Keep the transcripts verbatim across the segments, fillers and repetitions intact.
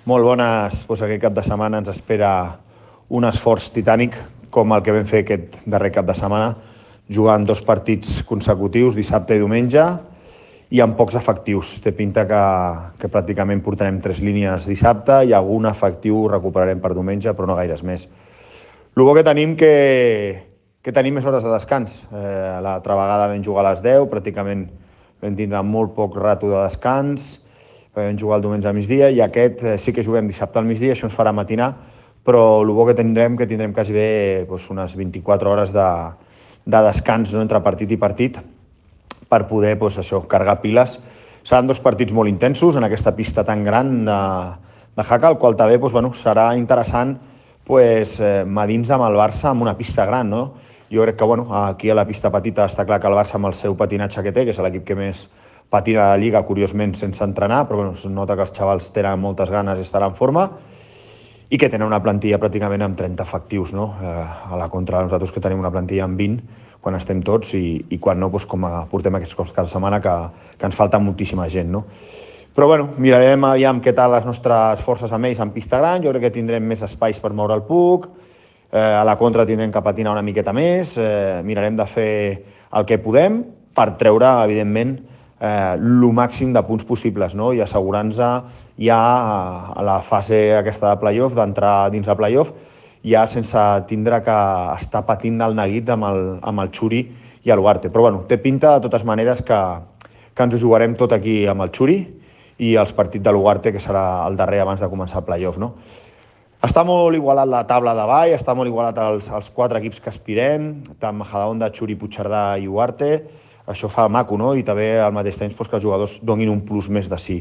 molt bones. Doncs aquest cap de setmana ens espera un esforç titànic com el que vam fer aquest darrer cap de setmana, jugant dos partits consecutius, dissabte i diumenge, i amb pocs efectius. Té pinta que, que pràcticament portarem tres línies dissabte i algun efectiu recuperarem per diumenge, però no gaires més. El bo que tenim que, que tenim més hores de descans. Eh, L'altra vegada vam jugar a les deu, pràcticament vam tindre molt poc rato de descans, vam jugar el diumenge al migdia, i aquest eh, sí que juguem dissabte al migdia, això ens farà matinar, però el bo que tindrem que tindrem quasi bé doncs, unes vint-i-quatre hores de, de descans, no?, entre partit i partit, per poder doncs, això, carregar piles. Seran dos partits molt intensos en aquesta pista tan gran de, de Jaca, el qual també doncs, bueno, serà interessant pues, eh, medins amb el Barça amb una pista gran, no? Jo crec que bueno, aquí a la pista petita està clar que el Barça amb el seu patinatge que té, que és l'equip que més patina de la Lliga, curiosment sense entrenar, però bueno, es nota que els xavals tenen moltes ganes i estan en forma, i que tenen una plantilla pràcticament amb trenta efectius, no? Eh, a la contra de nosaltres que tenim una plantilla amb vint, quan estem tots, i, i quan no, doncs, com portem aquests cops cada setmana, que, que ens falta moltíssima gent, no? Però bueno, mirarem aviam què tal les nostres forces amb ells en pista gran. Jo crec que tindrem més espais per moure el puck, eh, a la contra tindrem que patinar una miqueta més, eh, mirarem de fer el que podem per treure, evidentment, eh, el màxim de punts possibles, no? I assegurar-nos ja a la fase aquesta de playoff, d'entrar dins de playoff, ja sense tindre que estar patint el neguit amb el, amb el Xuri i el Huarte. Però bueno, té pinta de totes maneres que, que ens ho jugarem tot aquí amb el Xuri i els partits de l'Ugarte, que serà el darrer abans de començar el playoff, no? Està molt igualat la taula de baix, està molt igualat els, els quatre equips que aspirem, tant Majadahonda, Xuri, Puigcerdà i Ugarte. Això fa maco, no? I també al mateix temps doncs, que els jugadors donin un plus més de si.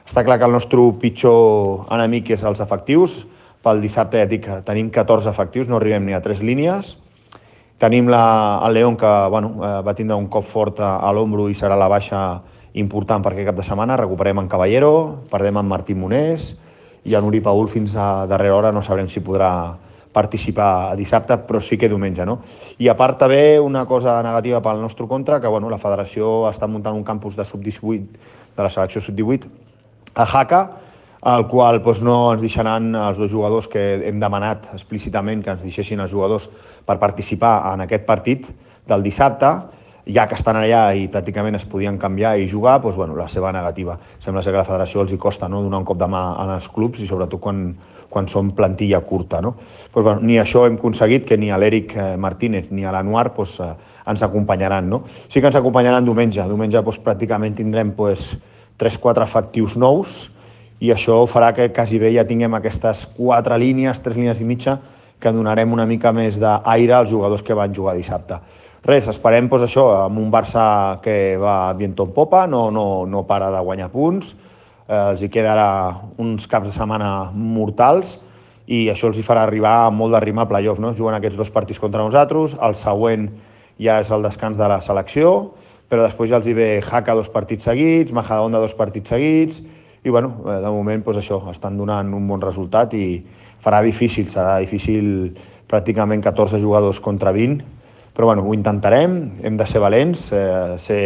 Està clar que el nostre pitjor enemic és els efectius. Pel dissabte, ja dic, tenim catorze efectius, no arribem ni a tres línies. Tenim la, el León, que bueno, va tindre un cop fort a, a l'ombro i serà la baixa important per aquest cap de setmana. Recuperem en Caballero, perdem en Martí Monés, i en Uri Paul fins a darrera hora no sabrem si podrà participar dissabte, però sí que diumenge, no? I a part també una cosa negativa pel nostre contra, que bueno, la federació està muntant un campus de sub divuit, de la selecció sub divuit, a Jaca, al qual doncs, no ens deixaran els dos jugadors que hem demanat explícitament que ens deixessin els jugadors per participar en aquest partit del dissabte, ja que estan allà i pràcticament es podien canviar i jugar, doncs, bueno, la seva negativa. Sembla ser que a la federació els hi costa, no?, donar un cop de mà als clubs, i sobretot quan, quan són plantilla curta, no? Doncs, bueno, ni això hem aconseguit, que ni a l'Eric Martínez ni a l'Anuar doncs, eh, ens acompanyaran, no? Sí que ens acompanyaran diumenge. Diumenge doncs, pràcticament tindrem doncs, tres quatre efectius nous, i això farà que quasi bé ja tinguem aquestes quatre línies, tres línies i mitja, que donarem una mica més d'aire als jugadors que van jugar dissabte. Res, esperem doncs, això, amb un Barça que va viento en popa, no, no, no para de guanyar punts, eh, els hi queda ara uns caps de setmana mortals, i això els hi farà arribar amb molt de ritme al playoff, no? Juguen aquests dos partits contra nosaltres, el següent ja és el descans de la selecció, però després ja els hi ve Jaca dos partits seguits, Majadahonda dos partits seguits, i bueno, de moment doncs, això, estan donant un bon resultat i farà difícil, serà difícil pràcticament catorze jugadors contra vint, però bueno, ho intentarem, hem de ser valents, eh, ser,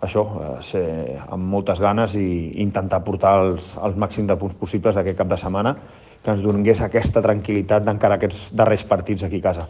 això, eh, ser amb moltes ganes i intentar portar els, els màxims de punts possibles aquest cap de setmana, que ens donés aquesta tranquil·litat d'encara aquests darrers partits aquí a casa.